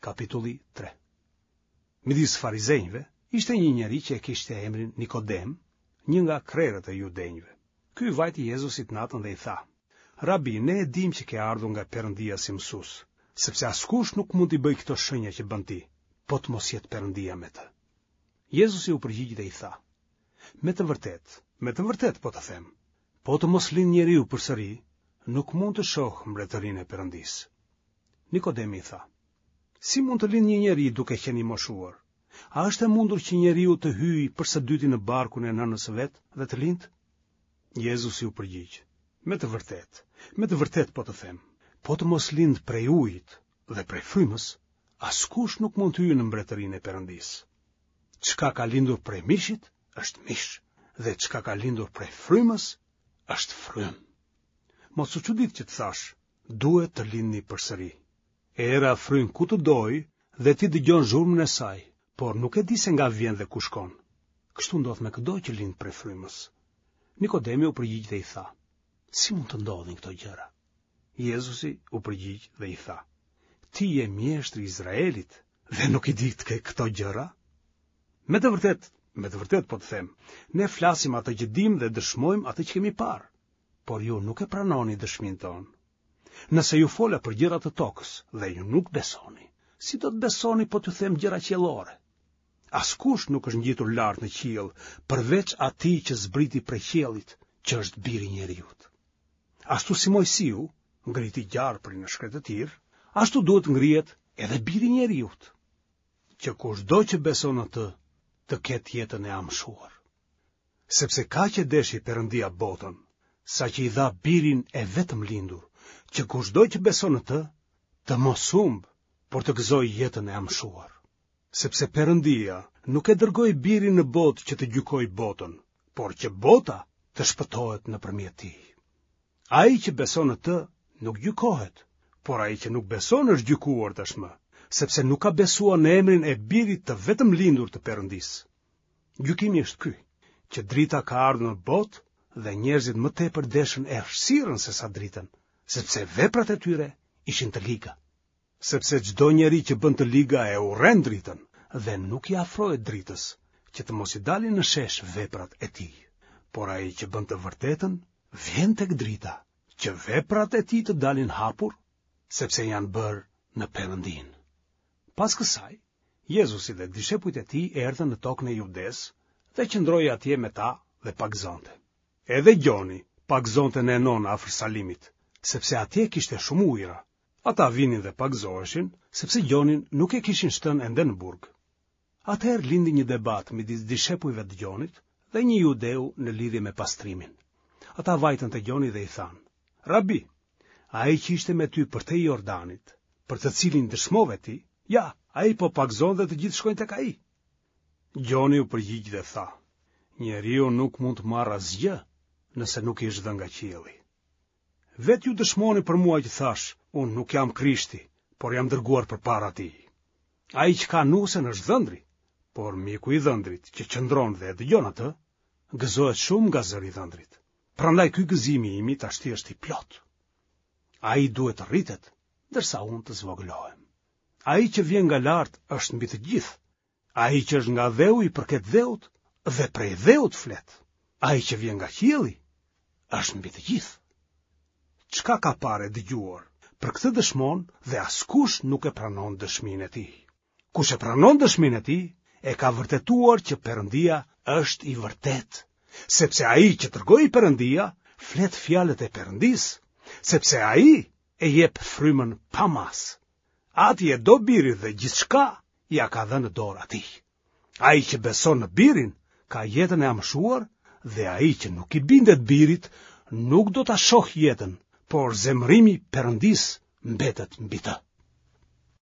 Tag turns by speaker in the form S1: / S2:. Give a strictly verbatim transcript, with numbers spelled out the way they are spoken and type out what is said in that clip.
S1: Kapitulli tre. Midis farizenjve ishte një njeri që e kishte emrin Nikodem, një nga krerët e judenjve. Ky i vajti Jezusit natën dhe i tha: Rabi, ne e dimë që ke ardhur nga Perëndia si mësues, sepse askush nuk mund t'i bëjë këto shenja që bën ti, po të mos jetë Perëndia me të. Jezusi u përgjigj dhe i tha: Me të vërtetë, me të vërtetë po të them, po të mos lind njeriu përsëri, nuk mund të shohë mbretërinë e Perëndisë. Nikodemi i tha: Si mund të lind një njeri duke qenë i moshuar? A është e mundur që njeriu të hyjë për së dyti në barkun e nënës së vet dhe të lindë? Jezusi u përgjigj: Me të vërtetë, me të vërtetë po të them, po të mos lind prej ujit dhe prej frymës, askush nuk mund të hyjë në mbretërinë e Perëndisë. Çka ka lindur prej mishit është mish, dhe çka ka lindur prej frymës është frymë. Mos u çudit që të thashë, duhet të lindni përsëri. Era fryn ku të dojë dhe ti dëgjon zhurmën e saj, por nuk e di se nga vjen dhe ku shkon. Kështu ndodh me këdo që lind prej frymës. Nikodemi u përgjigj dhe i tha: Si mund të ndodhin këto gjëra? Jezusi u përgjigj dhe i tha: Ti je mjeshtri i Izraelit dhe nuk i di këto gjëra? Me të vërtetë, me të vërtetë po të them, ne flasim atë që dimë dhe dëshmojmë atë që kemi parë, por ju nuk e pranoni dëshminë tonë. Nëse ju fola për gjëra të tokës dhe ju nuk besoni, si do të besoni po t'ju them gjëra qiellore? Askush nuk është ngjitur lart në qiell, përveç atij që zbriti prej qiellit, që është biri i njeriut. Ashtu si Mojsiu ngriti gjarprin në shkretëtirë, ashtu duhet ngrihet edhe biri i njeriut, që kushdo që beson në të, të ketë jetën e amshuar. Sepse kaq e deshi Perëndia botën, sa që i dha birin e vetëm lindur, që kushdo që beson në të, të mos humbë, por të gëzojë jetën e amshuar. Sepse Perëndia nuk e dërgoi birin në botë që të gjykojë botën, por që bota të shpëtohet nëpërmjet tij. Ai që beson në të nuk gjykohet, por ai që nuk beson është gjykuar tashmë, sepse nuk ka besuar në emrin e birit të vetëm lindur të Perëndisë. Gjykimi është ky, që drita ka ardhur në botë dhe njerëzit më tepër deshën errësirën se sa dritën, sepse veprat e tyre ishin të liga. Sepse çdo njeri që bën të liga e urren dritën dhe nuk i afrohet dritës, që të mos i dalin në shesh veprat e tij. Por ai që bën të vërtetën, vjen tek drita, që veprat e tij të dalin hapur, sepse janë bërë në Perëndinë. Pas kësaj, Jezusi dhe dishepujt e tij erdhën në tokën e Judesë dhe qëndroi atje me ta dhe pagëzonte. Edhe Gjoni pagëzonte në Enon afër Salimit, sepse atje kishte shumë ujëra. Ata vinin dhe pagëzoheshin, sepse Gjonin nuk e kishin shtënë ende në burg. Atëherë lindi një debat midis dishepujve të Gjonit dhe një judeu në lidhje me pastrimin. Ata vajtën te Gjoni dhe i thanë: Rabi, ai që ishte me ty përtej Jordanit, për të cilin dëshmove ti, ja, ai po pagëzon dhe të gjithë shkojnë tek ai. Gjoni u përgjigj dhe tha: Njeriu nuk mund të marrë asgjë nëse nuk i është dhënë nga qielli. Vetë ju dëshmoni për mua që thashë, unë nuk jam Krishti, por jam dërguar përpara tij. Ai që ka nusen është dhëndri, por miku i dhëndrit që qëndron dhe e dëgjon atë, gëzohet shumë nga zëri i dhëndrit. Prandaj ky gëzimi imi tashti është i plotë. Ai duhet të rritet, ndërsa unë të zvogëlohem. Ai që vjen nga lart është mbi të gjithë. Ai që është nga dheu i përket dheut dhe prej dheut flet. Ai që vjen nga qielli është mbi të gjithë. Çka ka parë e dëgjuar, për këtë dëshmon dhe askush nuk e pranon dëshminë e tij. Kush e pranon dëshminë e tij, e ka vërtetuar që Perëndia është i vërtetë, sepse ai që dërgoi Perëndia flet fjalët e Perëndisë, sepse ai e jep frymën pa masë. Ati e do birin dhe gjithçka ia ka dhënë në dorë atij. Ai që beson në birin ka jetën e amshuar dhe ai që nuk i bindet birit nuk do ta shohë jetën, por zemërimi i Perëndisë mbetet mbi të.